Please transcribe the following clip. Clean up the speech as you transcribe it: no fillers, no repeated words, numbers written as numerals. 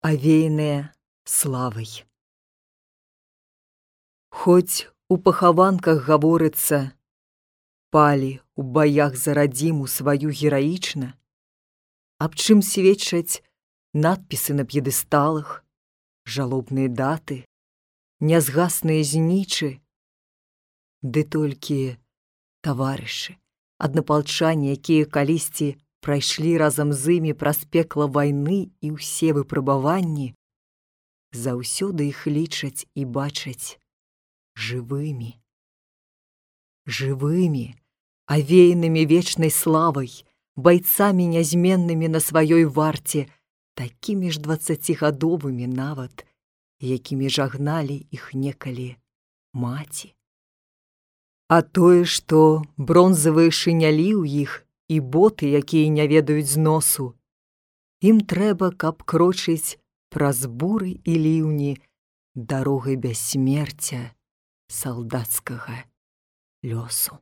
авеяныя славай. Хоць у пахаванках гаворыцца, палі ў баях за радзіму сваю гераічна, аб чым сведчаць надпісы на п'едэсталах, жалобныя даты, нязгасныя знічы, ды толькі таварышы, аднапалчане, якія калісьці прайшлі разам з імі праз пекла вайны і ўсе выпрабаванні, заўсёды іх лічаць і бачаць жывымі. Жывымі, авеянымі вечнай славай, байцамі нязменнымі на сваёй варце, такімі ж 20гадовымі нават, якімі жагналі іх некалі маці. А тое, што бронзавыя шынялі ў іх і боты, якія не ведаюць зносу, ім трэба, каб крочыць праз буры і ліўні дарогай бяссмерця салдацкага лёсу.